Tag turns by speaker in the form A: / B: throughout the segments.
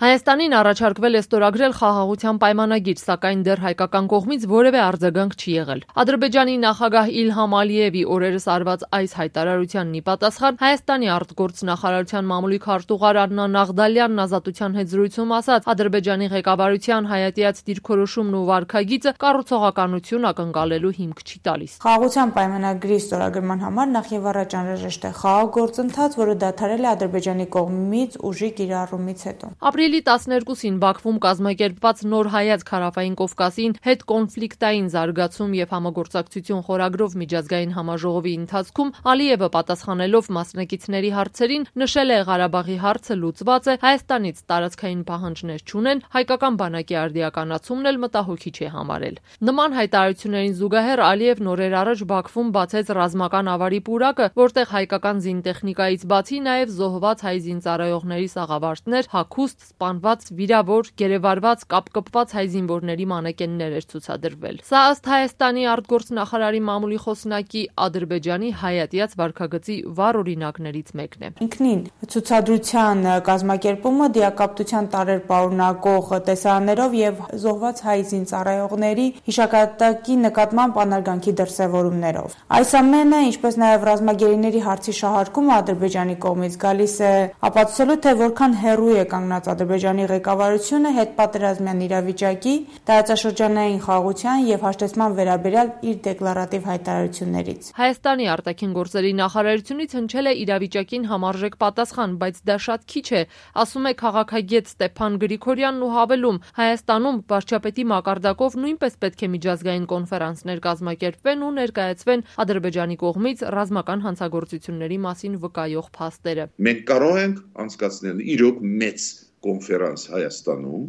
A: Հայաստանին առաջարկվել է ստորագրել խաղաղության պայմանագիր, սակայն դեռ հայկական կողմից որևէ արձագանք չի եղել։ Ադրբեջանի նախագահ Իլհամ Ալիևի օրերս արված այս հայտարարությանն ի պատասխան Հայաստանի արտգործնախարարության մամուլի քարտուղար Աննա Նաղդալյանն Ազատության հետ զրույցում ասաց, Ադրբեջանի ղեկավարության հայատյաց դիրքորոշումն ու վարքագիծը կառուցողականություն ակնկալելու հիմք չի տալիս։
B: Խաղաղության պայմանագրի ստորագրման համար նախ եւ առաջ անհրաժեշտ է խաղաղ գործընթաց, որը դադարել է Ադրբեջանի կողմից ուժի կիրառումից հետո։
A: Ապրիլի 12-ին Բաքվում կազմակերպված նոր հայացք Հարավային Կովկասին հետ կոնֆլիկտային զարգացում եւ համագործակցություն խորագրով միջազգային համաժողովի ընթացքում Ալիևը պատասխանելով մասնակիցների հարցերին նշել է Ղարաբաղի հարցը լուծված է, Հայաստանից տարածքային պահանջներ չունեն, հայկական բանակի արդիականացումն էլ մտահոգիչ է համարել։ Նման հայտարարություններին զուգահեռ Ալիևն օրեր առաջ Բաքվում բացեց ռազմական ավարի պուրակը, որտեղ հայկական զինտեխնիկայից բացի նաեւ զոհված հայ զինծառայողների սաղավարտներ, հագուստ, սպանված, վիրավոր, գերեվարված, կապկպված հայ զինվորների մանեկեններ էր ցուցադրվել։ Սա ըստ Հայաստանի արտգործնախարարի մամուլի խոսնակի Ադրբեջանի հայատյաց վարքագծի վառ օրինակներից մեկն է։
B: Ինքնին ցուցադրության կազմակերպումը դիակապտության տարեր պարունակող տեսարաններով եւ զոհված հայ զինծառայողների հիշատակի նկատմամբ անարգանքի դրսևորումներով։ Այս ամենը, ինչպես նաեւ ռազմագերիների հարցի շահարկումը Ադրբեջանի կողմից գալիս է ապացուցելու, թե որքան հեռու է կանգնած Ադրբեջանի ղեկավարությունը հետպատերազմյան իրավիճակի, տարածաշրջանային խաղաղության եւ հաշտեցման վերաբերյալ իր դեկլարատիվ հայտարարություններից։
A: Հայաստանի արտաքին գործերի նախարարությունից հնչել է իրավիճակին համարժեք պատասխան, բայց դա շատ քիչ է, ասում է քաղաքագետ Ստեփան Գրիգորյանն ու հավելում, Հայաստանում վարչապետի մակարդակով նույնպես պետք է միջազգային կոնֆերանսներ կազմակերպվեն ու ներկայացվեն Ադրբեջանի կողմից ռազմական հանցագործությունների մասին վկայող փաստերը։
C: Մենք կարող ենք անցկացնել իրոք մեծ կոնֆերանս Հայաստանում,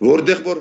C: որտեղ որ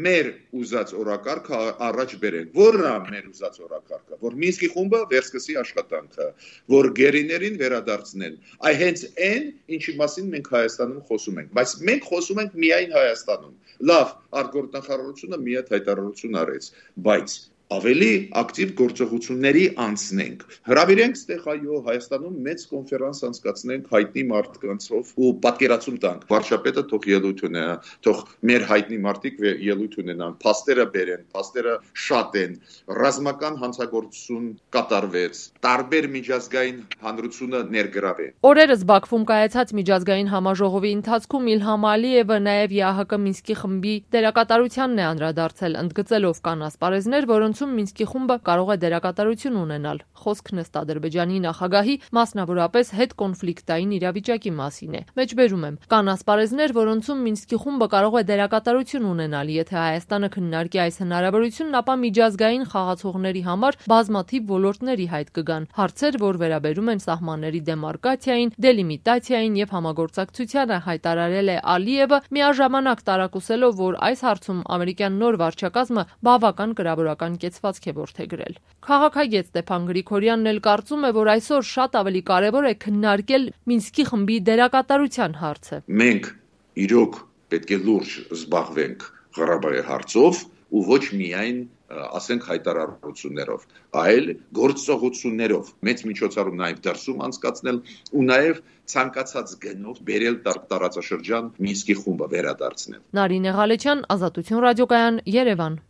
C: մեր ուզած օրակարգը առաջ բերենք։ Որն է մեր ուզած օրակարգը, որ Մինսկի խումբը վերսկսի աշխատանքը, որ գերիներին վերադարձնեն։ Այ հենց այն, ինչի մասին մենք Հայաստանում խոսում ենք, բայց մենք խոսում ենք միայն Հայաստանում։ Լավ, արտգործնախարարությունը մի հատ հայտարարություն արեց, բայց ավելի ակտիվ գործողությունների անցնենք։ Հրավիրենք ստեղ այո Հայաստանում մեծ կոնֆերանս անցկացնենք հայտնի մարդկանցով ու պատկերացում տանք։ Վարչապետը թող ելույթ ունենա, թող մեր հայտնի մարդիկ ելույթ ունենան, փաստերը բերեն, փաստերը շատ են, ռազմական հանցագործություն կատարվեց, տարբեր միջազգային հանրությունը ներգրավե։
A: Օրերս Բաքվում կայացած միջազգային համաժողովի ընթացքում Իլհամ Ալիևը նաև ԵԱՀԿ Մինսկի խմբի դերակատարությանն է անդրադարձել, ընդգծելով կան ասպարեզներ, որոնց Մինսկի խումբը կարող է դերակատարություն ունենալ։ Խոսքն ըստ Ադրբեջանի նախագահի մասնավորապես հետկոնֆլիկտային իրավիճակի մասին է։ Մեջբերում եմ, կան ասպարեզներ, որոնցում Մինսկի խումբը կարող է դերակատարություն ունենալ, եթե Հայաստանը քննարկի այս հնարավորությունն, ապա միջազգային խաղացողների համար բազմաթիվ ոլորտների հայտ կգան։ Հարցեր, որ վերաբերում են սահմանների դեմարկացիային, դելիմիտացիային եւ համագործակցությանը, հայտարարել է Ալիևը, միաժամանակ տարակուսելով, որ այս հարցում ամերիկյան նոր վարչակազմը բավական կրավորական կեցվածք է որդեգրել։ Քաղաքագետ Ստեփան Գրիգորյանն էլ կարծում է, որ այսօր շատ ավելի կարևոր է քննարկել Մինսկի խմբի դերակատարության հարցը։
C: Մենք իրոք պետք է լուրջ զբաղվենք Ղարաբաղի հարցով ու ոչ միայն ասենք հայտարարություններով, այլ գործողություններով, մեծ միջոցառում նաև դրսում անցկացնել ու նաև ցանկացած գնով բերել տարածաշրջան Մինսկի խումբը վերադարձնել։
A: Նարինե Ղալեչյան, Ազատություն ռադիոկայան, Երևան։